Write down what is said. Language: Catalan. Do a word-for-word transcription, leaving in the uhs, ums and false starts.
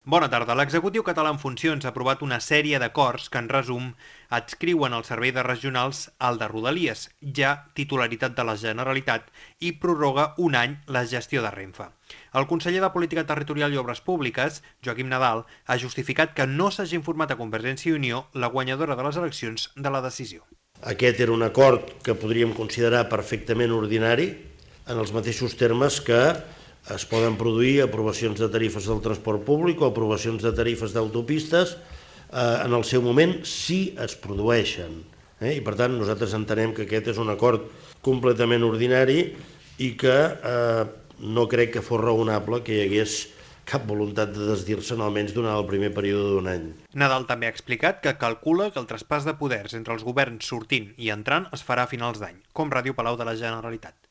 Bona tarda. L'executiu català en funcions ha aprovat una sèrie d'acords que, en resum, adscriuen el servei de regionals al de Rodalies, ja titularitat de la Generalitat, i prorroga un any la gestió de Renfe. El conseller de Política Territorial i Obres Públiques, Joaquim Nadal, ha justificat que no s'hagi informat a Convergència i Unió, la guanyadora de les eleccions, de la decisió. Aquest era un acord que podríem considerar perfectament ordinari, en els mateixos termes que es poden produir aprovacions de tarifes del transport públic o aprovacions de tarifes d'autopistes eh, en el seu moment, si es produeixen. Eh? I per tant, nosaltres entenem que aquest és un acord completament ordinari i que eh, no crec que fos raonable que hi hagués cap voluntat de desdir-se'n almenys durant el primer període d'un any. Nadal també ha explicat que calcula que el traspàs de poders entre els governs sortint i entrant es farà a finals d'any, com Ràdio Palau de la Generalitat.